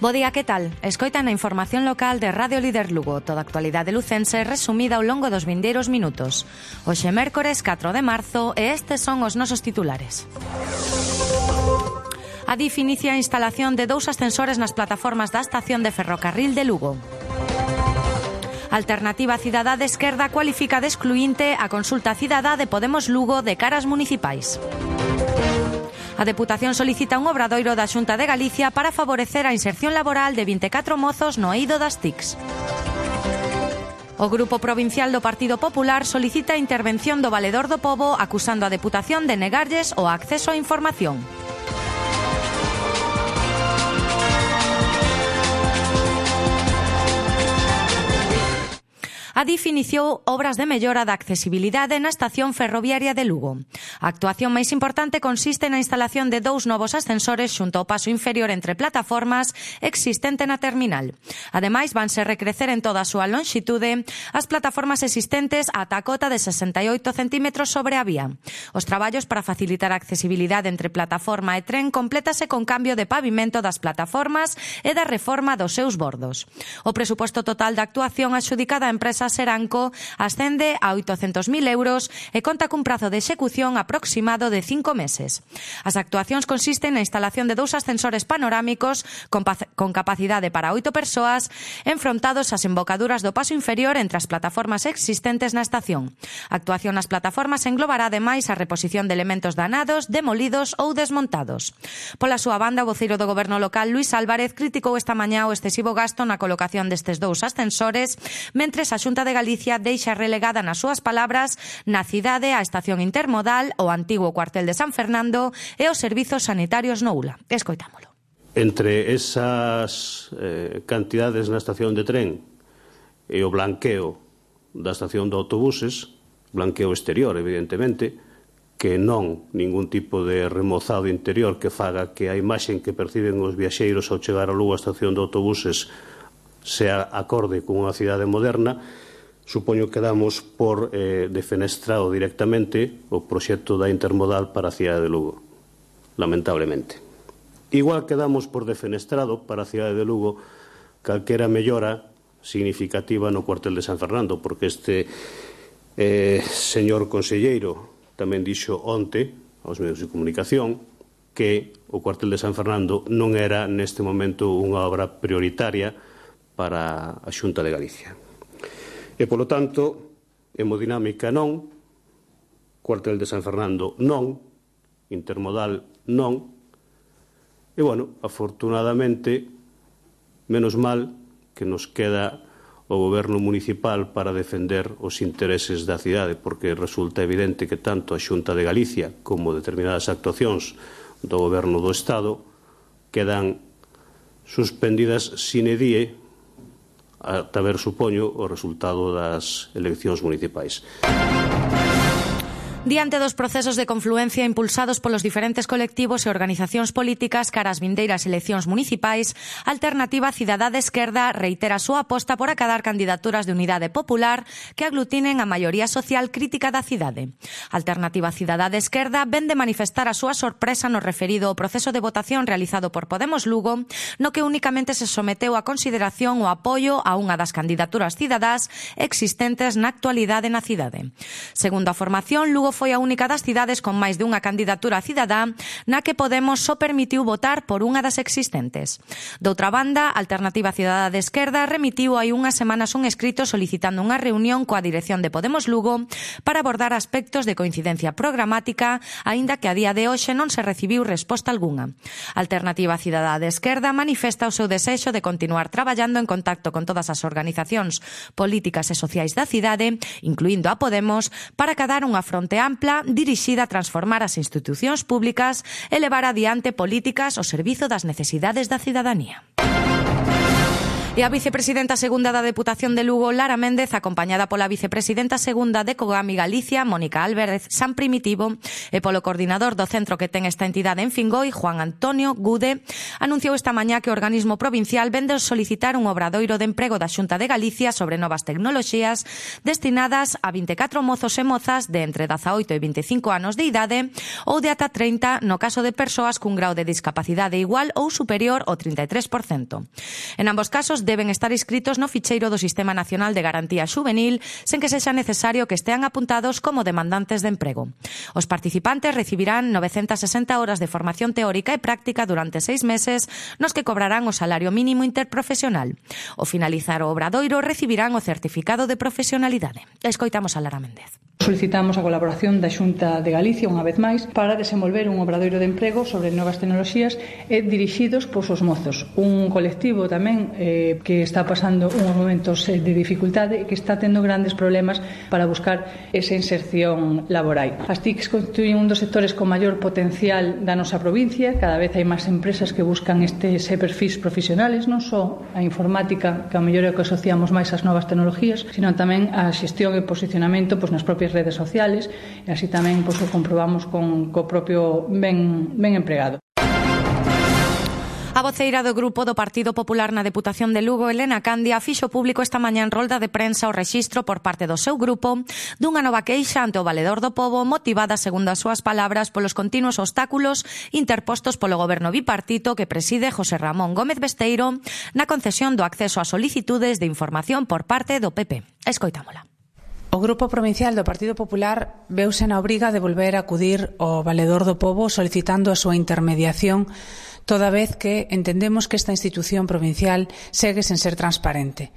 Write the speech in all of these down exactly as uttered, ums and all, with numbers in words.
Bo día, que tal? Escoitan a información local de Radio Líder Lugo, toda a actualidade lucense resumida ao longo dos vindeiros minutos. Hoxe mércores catro de marzo e estes son os nosos titulares. A D I F inicia a instalación de dous ascensores nas plataformas da estación de ferrocarril de Lugo. Alternativa Cidadá de Esquerda cualifica de excluinte a consulta cidadá de Podemos Lugo de caras municipais. A Deputación solicita un obradoiro da Xunta de Galicia para favorecer a inserción laboral de vinte e catro mozos no eido das T I Cs. O Grupo Provincial do Partido Popular solicita a intervención do Valedor do Pobo acusando a Deputación de negarlles o acceso á información. A D I F iniciou obras de mellora da accesibilidade na estación ferroviaria de Lugo. A actuación máis importante consiste na instalación de dous novos ascensores xunto ao paso inferior entre plataformas existente na terminal. Ademais, vanse recrecer en toda a súa lonxitude as plataformas existentes ata a cota de sesenta e oito centímetros sobre a vía. Os traballos para facilitar a accesibilidade entre plataforma e tren complétase con cambio de pavimento das plataformas e da reforma dos seus bordos. O presuposto total da actuación adxudicada á empresa Seranco ascende a oitocentos mil euros e conta cun prazo de execución aproximado de cinco meses. As actuacións consisten na instalación de dous ascensores panorámicos con, con capacidade para oito persoas enfrontados ás embocaduras do paso inferior entre as plataformas existentes na estación. A actuación nas plataformas englobará ademais a reposición de elementos danados, demolidos ou desmontados. Pola súa banda, o voceiro do Goberno local, Luís Álvarez, criticou esta mañá o excesivo gasto na colocación destes dous ascensores, mentres a Xunta de Galicia deixa relegada nas súas palabras na cidade a estación intermodal, o antigo cuartel de San Fernando e os servizos sanitarios no U L A. Escoitámolo. Entre esas eh, cantidades na estación de tren e o blanqueo da estación de autobuses, blanqueo exterior, evidentemente, que non ningún tipo de remozado interior que faga que a imaxen que perciben os viaxeiros ao chegar a Lugo a estación de autobuses sea acorde con unha cidade moderna. Supoño que damos por eh, defenestrado directamente o proxecto da intermodal para a cidade de Lugo, lamentablemente. Igual que damos por defenestrado para a cidade de Lugo calquera mellora significativa no cuartel de San Fernando, porque este eh, señor conselleiro tamén dixo onte aos medios de comunicación que o cuartel de San Fernando non era neste momento unha obra prioritaria para a Xunta de Galicia. E, polo tanto, hemodinámica non, cuartel de San Fernando non, intermodal non, e, bueno, afortunadamente, menos mal que nos queda o goberno municipal para defender os intereses da cidade, porque resulta evidente que tanto a Xunta de Galicia como determinadas actuacións do goberno do Estado quedan suspendidas sine die ata ver, supoño, o resultado das eleccións municipais. Diante dos procesos de confluencia impulsados polos diferentes colectivos e organizacións políticas cara ás vindeiras eleccións municipais, Alternativa Cidadá de Esquerda reitera a súa aposta por acadar candidaturas de unidade popular que aglutinen a maioría social crítica da cidade. Alternativa Cidadá de Esquerda ven de manifestar a súa sorpresa no referido ao proceso de votación realizado por Podemos Lugo, no que únicamente se someteu a consideración o apoio a unha das candidaturas cidadás existentes na actualidade na cidade. Segundo a formación, Lugo foi a única das cidades con máis dunha candidatura cidadá na que Podemos só permitiu votar por unha das existentes. Doutra banda, Alternativa Cidadá de Esquerda remitiu hai unhas semanas un escrito solicitando unha reunión coa dirección de Podemos Lugo para abordar aspectos de coincidencia programática, aínda que a día de hoxe non se recibiu resposta algunha. Alternativa Cidadá de Esquerda manifesta o seu desexo de continuar traballando en contacto con todas as organizacións políticas e sociais da cidade, incluindo a Podemos, para acadar unha fronte ampla dirixida a transformar as institucións públicas e levar adiante políticas ao servizo das necesidades da cidadanía. E a vicepresidenta segunda da Deputación de Lugo, Lara Méndez, acompañada pola vicepresidenta segunda de Cogami Galicia, Mónica Álvarez San Primitivo, e polo coordinador do centro que ten esta entidade en Fingoi, Juan Antonio Gude, anunciou esta mañá que o organismo provincial vende solicitar un obradoiro de emprego da Xunta de Galicia sobre novas tecnoloxías destinadas a vinte e catro mozos e mozas de entre dezaoito e vinte e cinco anos de idade ou de ata trinta no caso de persoas cun grau de discapacidade igual ou superior ao trinta e tres por cento. En ambos casos deben estar inscritos no ficheiro do Sistema Nacional de Garantía Xuvenil sen que sexa necesario que estean apuntados como demandantes de emprego. Os participantes recibirán novecentas sesenta horas de formación teórica e práctica durante seis meses nos que cobrarán o salario mínimo interprofesional. Ao finalizar o obradoiro recibirán o certificado de profesionalidade. Escoitamos a Lara Méndez. Solicitamos a colaboración da Xunta de Galicia unha vez máis para desenvolver un obradoiro de emprego sobre novas tecnoloxías e dirixidos pois os mozos, un colectivo tamén eh, que está pasando uns momentos eh, de dificultade e que está tendo grandes problemas para buscar esa inserción laboral. As T I Cs constituyen un dos sectores con maior potencial da nosa provincia, cada vez hai máis empresas que buscan estes perfis profesionales, non só a informática, que a mellor é o que asociamos máis ás novas tecnologías, sino tamén a xestión e posicionamento pois, nas propias redes sociales, e así tamén pois, o comprobamos con co propio ben, ben empregado. A voceira do Grupo do Partido Popular na Deputación de Lugo, Elena Candia, fixo público esta mañá en rolda de prensa o rexistro por parte do seu grupo dunha nova queixa ante o Valedor do Pobo motivada, segundo as súas palabras, polos continuos obstáculos interpostos polo goberno bipartito que preside José Ramón Gómez Besteiro na concesión do acceso a solicitudes de información por parte do P P. Escoitámola. O Grupo Provincial do Partido Popular veuse na obriga de volver a acudir ao Valedor do Pobo solicitando a súa intermediación, toda vez que entendemos que esta institución provincial segue sen ser transparente.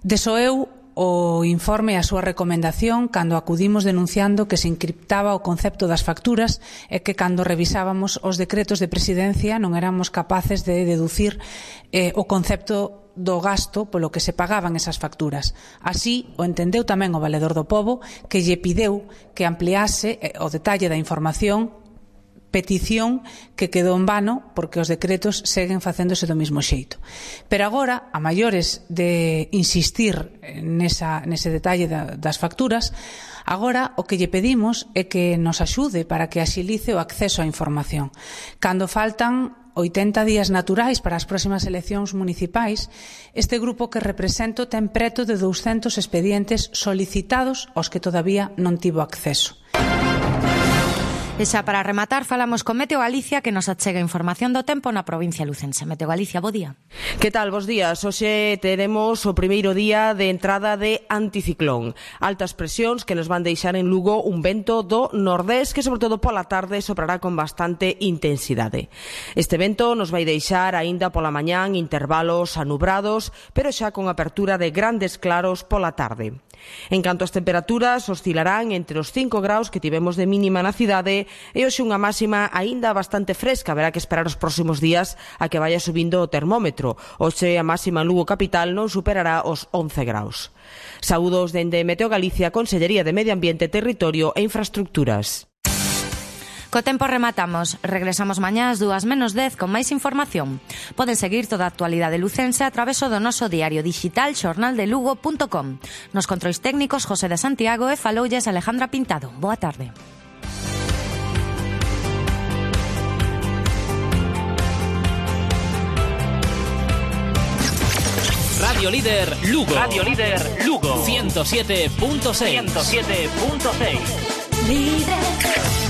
Desoeu o informe e a súa recomendación cando acudimos denunciando que se encriptaba o concepto das facturas e que cando revisábamos os decretos de presidencia non éramos capaces de deducir eh, o concepto do gasto polo que se pagaban esas facturas. Así o entendeu tamén o Valedor do Pobo, que lle pideu que ampliase eh, o detalle da información, petición que quedou en vano porque os decretos seguen facéndose do mesmo xeito. Pero agora, a maiores de insistir nesa, nese detalle da, das facturas, agora o que lle pedimos é que nos axude para que axilice o acceso á información. Cando faltan oitenta días naturais para as próximas eleccións municipais, este grupo que represento ten preto de douscentos expedientes solicitados aos que todavía non tivo acceso. E xa para rematar, falamos con Meteo Galicia, que nos achega información do tempo na provincia lucense. Meteo Galicia, bo día. Que tal, bos días? Hoxe teremos o primeiro día de entrada de anticiclón. Altas presións que nos van deixar en Lugo un vento do nordés que, sobre todo pola tarde, soprará con bastante intensidade. Este vento nos vai deixar aínda pola mañán intervalos anubrados, pero xa con apertura de grandes claros pola tarde. En canto ás temperaturas, oscilarán entre os cinco graus que tivemos de mínima na cidade e hoxe unha máxima aínda bastante fresca. Haberá que esperar os próximos días a que vaya subindo o termómetro. Hoxe a máxima en Lugo capital non superará os once graus. Saúdos dende Meteo Galicia, Consellería de Medio Ambiente, Territorio e Infraestructuras. Co tempo rematamos. Regresamos mañá ás dúas menos dez con máis información. Poden seguir toda a actualidade lucense a través do noso diario digital xornal de lugo punto com. Nos controis técnicos José de Santiago e faloulles Alejandra Pintado. Boa tarde. Radio Líder Lugo. Radio Líder Lugo. ciento siete punto seis. ciento siete punto seis. Líder.